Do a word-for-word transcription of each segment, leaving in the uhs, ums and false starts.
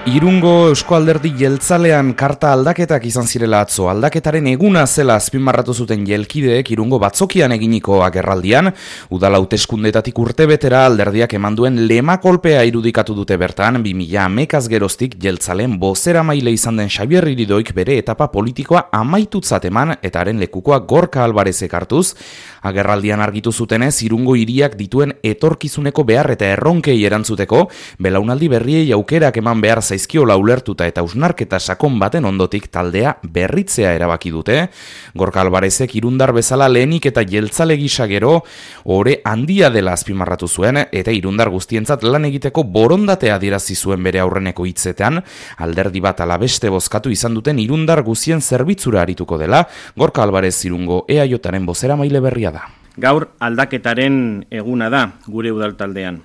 Irungo Eusko Alderdi Jeltzalean karta aldaketak izan zirela atzo. Aldaketaren eguna zela azpimarratu zuten jelkideek Irungo batzokian eginiko agerraldian. Udal hauteskundetatik urtebetera alderdiak eman duen lema kolpea irudikatu dute bertan. bi mila hamekaz geroztik Jeltzaleen bozeramaile izan den Xabier Iridoik bere etapa politikoa amaitutzat eman eta haren lekukoa Gorka Alvarezek hartuz. Agerraldian argitu zutenez, Irungo hiriak dituen etorkizuneko behar eta erronkei erantzuteko, belaunaldi berriei aukerak eman behar zaizkiola ulertuta eta usnarketa sakon baten ondotik taldea berritzea erabaki dute. Gorka Alvarezek Irundar bezala lehenik eta jeltzale gisa gero ore handia dela azpimarratu zuen eta Irundar guztientzat lan egiteko borondatea adierazi zuen bere aurreneko hitzetan, alderdi bat ala beste bozkatu izan duten Irundar guztien zerbitzura arituko dela. Gorka Alvarez Irungo E A Jaren bozeramaile berria da. Gaur aldaketaren eguna da gure udaltaldean.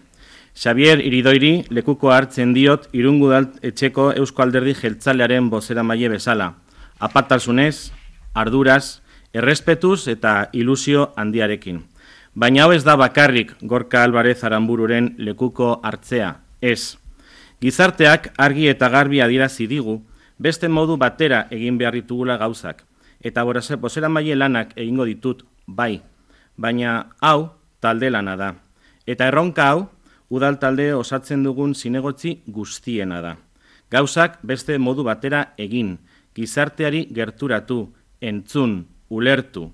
Xabier Iridoiri lekuko hartzen diot Irungo udaletxeko Eusko Alderdi Jeltzalearen bozeramaile bezala. Apaltasunez, arduraz, errespetuz eta ilusio handiarekin. Baina hau ez da bakarrik Gorka Alvarez Aranbururen lekuko hartzea, ez. Gizarteak argi eta garbi adierazi digu, beste modu batera egin behar ditugula gauzak. Eta bozeramaile lanak egingo ditut, bai. Baina hau talde lana da. Eta erronka hau, udal talde osatzen dugun zinegotzi guztiena da. Gauzak beste modu batera egin, gizarteari gerturatu, entzun, ulertu,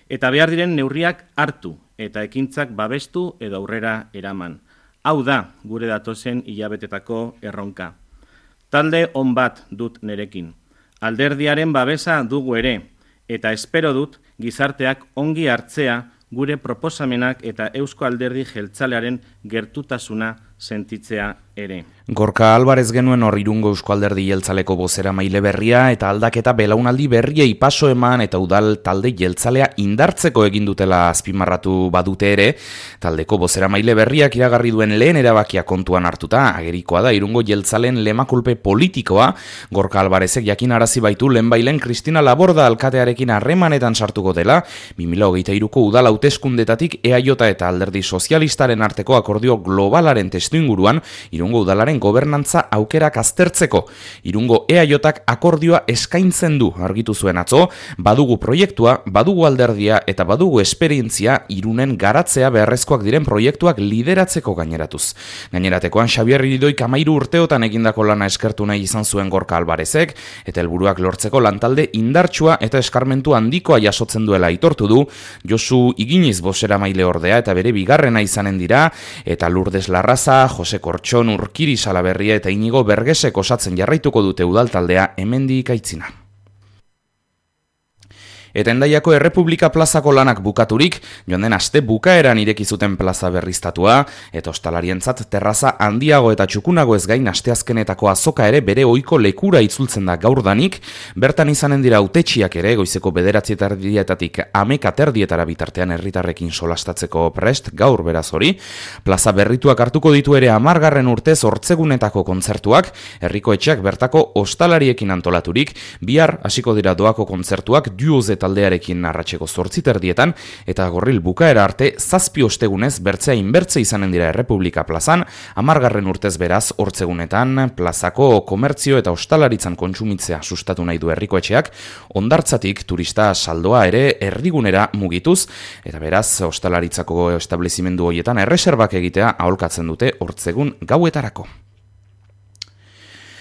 eta behar diren neurriak hartu, eta ekintzak babestu edo aurrera eraman. Hau da gure datozen hilabetetako erronka. Talde on bat dut nerekin. Alderdiaren babesa dugu ere, eta espero dut gizarteak ongi hartzea gure proposamenak eta Eusko Alderdi Jeltzalearen gertutasuna sentitzea ere. Gorka Alvarez genuen hor Irungo Eusko Alderdi Jeltzaleko bozeramaile berria eta aldaketa belaunaldi berriei paso eman eta udal talde jeltzalea indartzeko egin dutela azpimarratu badute ere, taldeko bozeramaile berriak iragarri duen lehen erabakia kontuan hartuta, agerikoa da Irungo Jeltzaleen lemakulpe politikoa. Gorka Alvarezek jakinarazi baitu lehenbailen Kristina Laborda alkatearekin harremanetan sartuko dela, bi mila hogeita hiruko udal hauteskundetatik E A J eta Alderdi Sozialistaren arteko akordio globalaren testu inguruan Irungo udalaren gobernantza aukerak aztertzeko. Irungo E A Jak akordioa eskaintzen du argitu zuen atzo, badugu proiektua, badugu alderdia eta badugu esperientzia Irunen garatzea beharrezkoak diren proiektuak lideratzeko gaineratuz. Gaineratekoan Xabier Iridoik hamairu urteotan egindako lana eskertu nahi izan zuen Gorka Alvarezek eta helburuak lortzeko lantalde indartsua eta eskarmentu handikoa jasotzen duela aitortu du. Josu Iginiz bozeramaile ordea eta bere bigarrena izanen dira, eta Lourdes Larraza, Jose Kortxon, Urkiri Salaberria eta Inigo Bergesek osatzen jarraituko dute udaltaldea hemendik aitzina. Eta Hendaiako Errepublika plazako lanak bukaturik, joan den aste bukaeran ireki zuten plaza berriztatua, eta ostalarientzat terraza handiago eta txukunago ez gain asteazkenetako azoka ere bere ohiko lekura itzultzen da gaurdanik. Bertan izanen dira hautetsiak ere goizeko bederatzi erdietatik hameka terdietara bitartean herritarrekin solastatzeko prest, gaur beraz hori. Plaza berrituak hartuko ditu ere hamargarren urtez hortzegunetako kontzertuak, herriko etxeak bertako ostalariekin antolaturik, bihar hasiko dira doako kontzertuak Duoz taldearekin arratseko zortzi terdietan, eta gorril bukaera arte zazpi ostegunez bertzea inbertze izanen dira Errepublika plazan, hamargarren urtez beraz hortzegunetan plazako komertzio eta ostalaritzan kontsumitzea sustatu nahi du herriko etxeak, hondartzatik turista saldoa ere erdigunera mugituz, eta beraz ostalaritzako establezimendu horietan erreserbak egitea aholkatzen dute hortzegun gauetarako.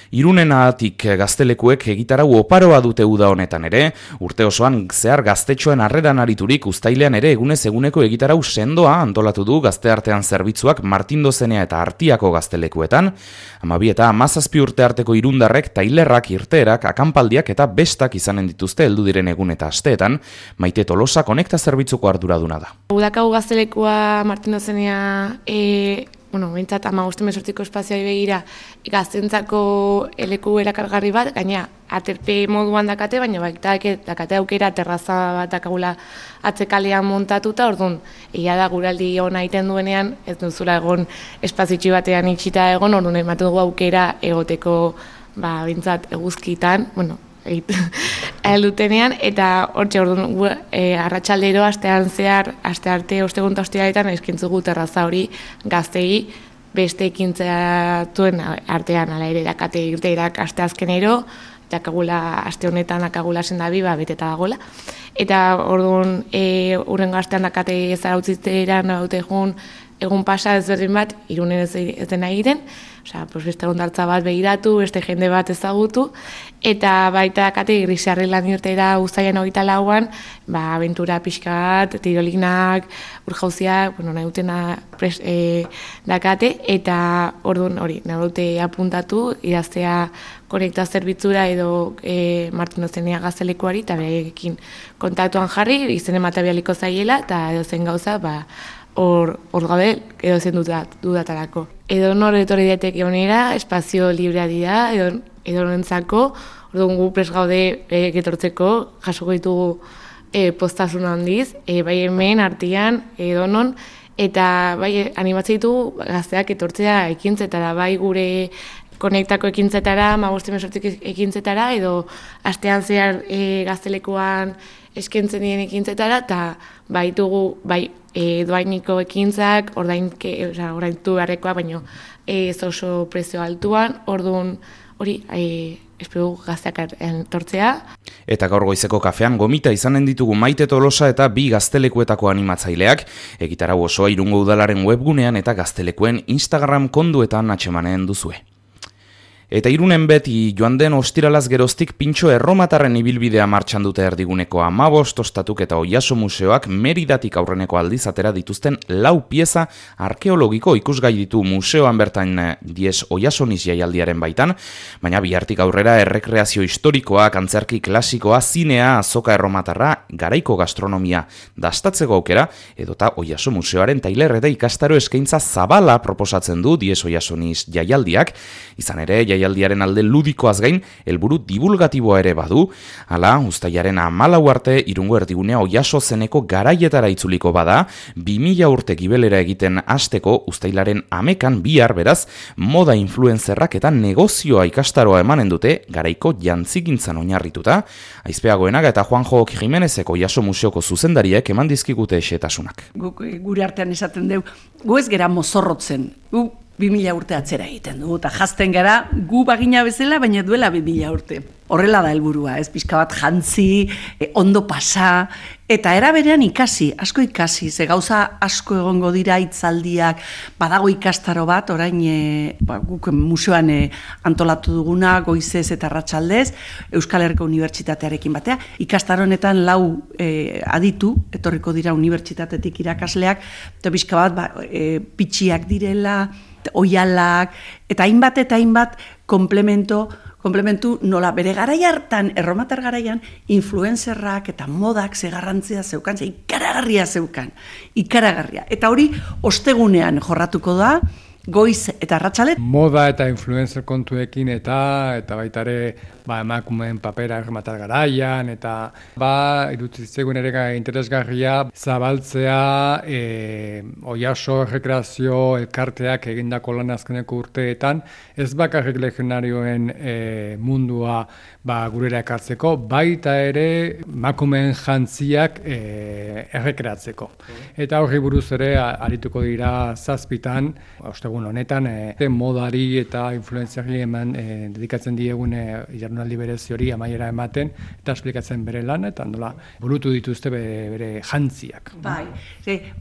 Irunenatik gaztelekuek egitarau oparoa dute uda honetan ere, urte osoan zehar gaztetxoen harreran ariturik uztailean ere egunez eguneko egitarau sendoa antolatu du gazteartean zerbitzuak Martindozenea eta Artiako gaztelekuetan, hamabi eta hamazazpi urte arteko irundarrek tailerrak, irteerak, akanpaldiak eta bestak izanen dituzte heldu diren egun eta asteetan. Maite Tolosa konekta zerbitzuko arduraduna da. Udakau gaztelekua Martindozenea e... Bueno, bintzat, amagoste mesortziko espazioa begira gaztentzako eleku erakargarri bat, gaina aterpe moduan dakate, baina baita dakate aukera terraza bat dakagula atzekalean montatuta, orduan, egia da guraldi hona egiten duenean, ez duzula egon espazitxi batean itxita egon, orduan ematen dugu aukera egoteko, ba, bintzat, eguzkitan, bueno, heldutenean, eta hortxe orduan e, arratsaldero astean zehar, aste arte ostegun eta ostiraletan eskaintzugu terraza hori gaztei beste ekintzatuen artean ala ere dakate irteerak aste azkenero, dakagula aste honetan dakagula sendabi ba beteta dagola. Eta orduan e, urrengo astean dakate zarautzitzeran daute egun egun pasa ezberdin bat Irunen ez, ez dena egiten, osea, pues beste ondartza bat begiratu, beste jende bat ezagutu, eta baita dakate Grisarri lan irtera uztailan hogeita lauan, ba, abentura pixka bat, tirolinak, urjauziak, bueno, nahi dutena pres, e, dakate, eta orduan hori, nahi dute apuntatu, idaztea konekta zerbitzura edo e, Martin Ozenea gaztelekuari, eta berekin kontaktuan jarri, izen ematebialiko zaiela, eta edo zen gauza, ba, hor gaude edo zen dudatarako. Edo nor etorri daiteke honera, espazio librea dira, edo, edo norentzako, orduan gu prest gaude e, getortzeko, jasoko ditugu e, postasun handiz, e, bai hemen, artean, edo non, eta bai animatzen ditugu gazteak etortzea ekintzetara, bai gure konektako ekintzetara, magoste mesortik ekintzetara, edo astean zehar e, gaztelekuan eskentzen dien ekintzetara, eta baitugu, bai, e, doainiko ekintzak, ordainke, oza, ordaintu beharrekoa, baino ez oso prezio altuan, orduan hori, e, espero gazteak tortzea. Eta gaur goizeko kafean gomita izanen ditugu Maite Tolosa eta bi gaztelekuetako animatzaileak, egitarau osoa Irungo Udalaren webgunean eta gaztelekuen Instagram konduetan atxemanen duzue. Eta Irunen beti joan den ostiralaz geroztik pintxo erromatarren ibilbidea martxan dute erdiguneko hamabost ostatuk eta Oiaso museoak Meridatik aurreneko aldiz atera dituzten lau pieza arkeologiko ikusgai ditu museoan bertan diez Oiasoniz jaialdiaren baitan, baina bihartik aurrera errekreazio historikoa, antzerki klasikoa, zinea, azoka erromatarra, garaiko gastronomia dastatzeko aukera, edota Oiaso museoaren tailer eta ikastaro eskaintza zabala proposatzen du diez Oiasoniz jaialdiak, izan ere jaialdiaren alde ludikoaz gain, helburu divulgatiboa ere badu, hala, uztailaren hamalau arte Irungo erdigunea Oiaso zeneko garaietara itzuliko bada, bi mila urte gibelera egiten hasteko uztailaren hamekan bihar beraz, moda influenzerrak eta negozioa ikastaroa emanen dute, garaiko jantzigintzan oinarrituta, Aizpeagoenaga eta Juanjo Jimenezeko Oiaso museoko zuzendariek eman dizkigute xetasunak. Gure artean esaten deu, gu ez gera mozorrotzen, gu bi mila urte atzera egiten dugu, eta jazten gara gu bagina bezala, baina duela bi mila urte. Horrela da helburua, ez pixka bat jantzi, eh, ondo pasa, eta era berean ikasi, asko ikasi, ze gauza asko egongo dira hitzaldiak, badago ikastaro bat, orain e, ba, guk museoan e, antolatu duguna, goizez eta arratsaldez, Euskal Herriko Unibertsitatearekin batea, ikastaro honetan lau e, aditu, etorriko dira unibertsitatetik irakasleak, eta pixka bat ba, e, pitxiak direla, oialak, eta hainbat eta hainbat komplemento, komplementu nola bere garai hartan, erromatar garaian, influenzerrak eta modak ze garrantzia zeukan, ze ikaragarria zeukan, ikaragarria. Eta hori ostegunean jorratuko da, goiz eta arratsalet. Moda eta influencer kontuekin eta eta baita ere ba, emakumeen papera erromatar garaian, eta ba, irutzitzegun ere interesgarria zabaltzea e, Oiaso errekreazio elkarteak egindako lan azkeneko urteetan, ez bakarrik legionarioen e, mundua ba, gurera ekartzeko, baita ere emakumeen jantziak e, errekreatzeko. Eta horri buruz ere arituko dira zazpitan, ostegun honetan, e, modari eta influenziari eman e, dedikatzen diegun e, jardunaldi berezi hori amaiera ematen, eta esplikatzen bere lan, eta nola burutu dituzte bere, bere jantziak. Bai,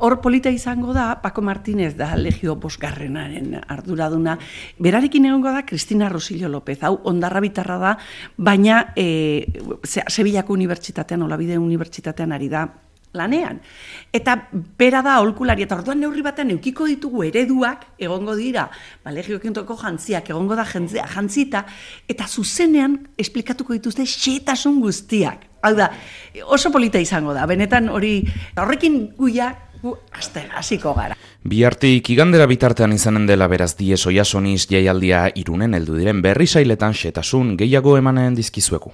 hor polita izango da, Paco Martínez da Legio bosgarrenaren arduraduna, berarekin egongo da Cristina Rosillo López, hau ondarra bitarra da, baina e, Sevillako Unibertsitatean, Olabide Unibertsitatean ari da lanean. Eta bera da aholkulari, eta orduan neurri batean eukiko ditugu ereduak, egongo dira, ba, legiokentoko jantziak, egongo da jantzia, jantzita, eta zuzenean esplikatuko dituzte xetasun guztiak. Hau da, oso polita izango da, benetan hori, horrekin guia, gu hasiko gara. Bihartik igandera bitartean izanen dela beraz diez Oiasoniz jaialdia Irunen heldu diren berri sailetan xetasun gehiago emanen dizkizuegu.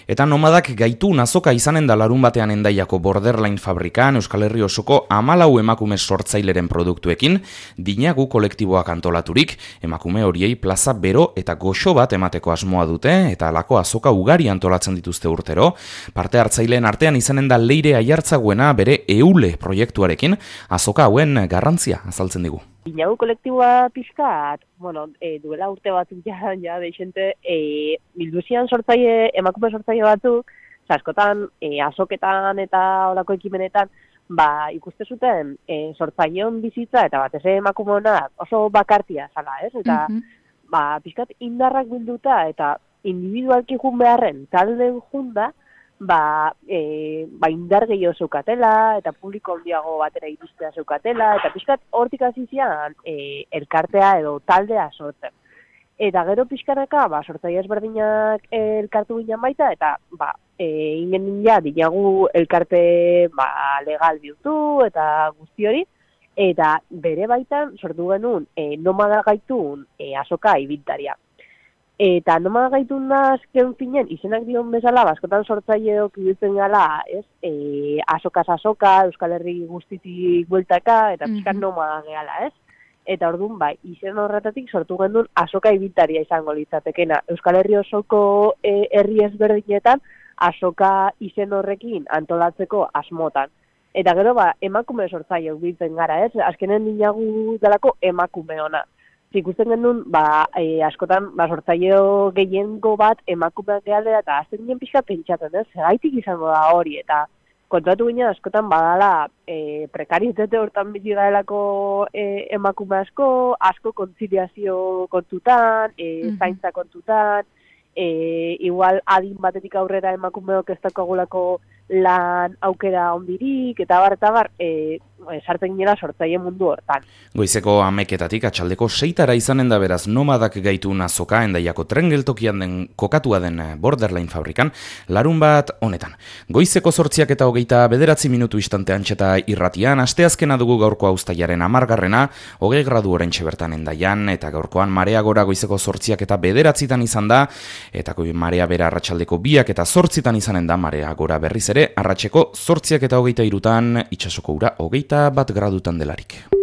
Eta nomadak gaitu nazoka izanen da larun batean Hendaiako Borderline fabrikan Euskal Herri osoko hamalau emakume sortzaileren produktuekin, dinagu kolektiboak antolaturik, emakume horiei plaza bero eta goxo bat emateko asmoa dute, eta halako azoka ugari antolatzen dituzte urtero. Parte hartzaileen artean izanen da Leire Aiartzaguena bere Eule proiektuarekin, azoka hauen garrantzia azaltzen digu. Inagu kolektiboa pixkat, bueno, e, duela urte batzuk ja, ja deixente, e, bilduzian sortzaile, emakume sortzaile batzuk, askotan, e, azoketan eta olako ekimenetan, ba, ikuste zuten e, sortzaileon bizitza eta batez ere emakume honak oso bakartia zala, ez? Eta, mm-hmm. ba, pixkat indarrak bilduta eta individualki jun beharren talden junda, ba, e, ba indar gehiago zeukatela, eta publiko handiago batera iristea zeukatela, eta pixkat hortik hasi zian e, elkartea edo taldea sortzen. Eta gero pixkanaka, ba, sortzaile ezberdinak elkartu ginen baita, eta ba, e, ingen ja, dinagu elkarte ba, legal bihurtu eta guzti hori, eta bere baitan sortu genuen e, nomada gaitun e, azoka ibiltaria. Eta nomada gaitun da azken finen, izenak dion bezala, baskotan sortzaileok ibiltzen gala, ez? E, azokaz azoka, Euskal Herri guztitik bueltaka, eta pixkat mm-hmm. nomada gehala, ez? Eta orduan, bai, izen horretatik sortu gendun azoka ibiltaria izango litzatekena. Euskal Herri osoko e, herri ezberdinetan, azoka izen horrekin antolatzeko asmotan. Eta gero, ba, emakume sortzaileok biltzen gara, ez? Azkenen dinagu delako emakume ona. Ikusten genuen, ba, e, askotan, ba, sortzaileo gehiengo bat emakumeak gehalera, eta azten ginen pixka pentsatzen, ez? Gaitik izango da hori, eta kontratu ginen askotan badala e, prekarietate hortan bizi gaelako e, emakume asko, asko kontziliazio kontutan, e, mm-hmm. zaintza kontutan, e, igual adin batetik aurrera emakumeok ez dakagulako lan aukera ondirik, eta bar, eta bar, e, sartzen ginela sortzaile mundu hortan. Goizeko hameketatik atxaldeko seitara izanen da beraz nomadak gaitu azoka Hendaiako tren geltokian den kokatua den Borderline fabrikan, larun bat honetan. Goizeko zortziak eta hogeita bederatzi minutu istante antxeta irratian, asteazkena dugu gaurko uztailaren hamargarrena, hogei gradu oraintxe bertan Hendaian, eta gaurkoan marea gora goizeko zortziak eta bederatzitan izan da, eta marea bera arratsaldeko biak eta zortzitan izanen da marea gora berriz ere, arratseko zortziak eta hogeita irutan, itsasoko ura hogeita bat gradutan delarik.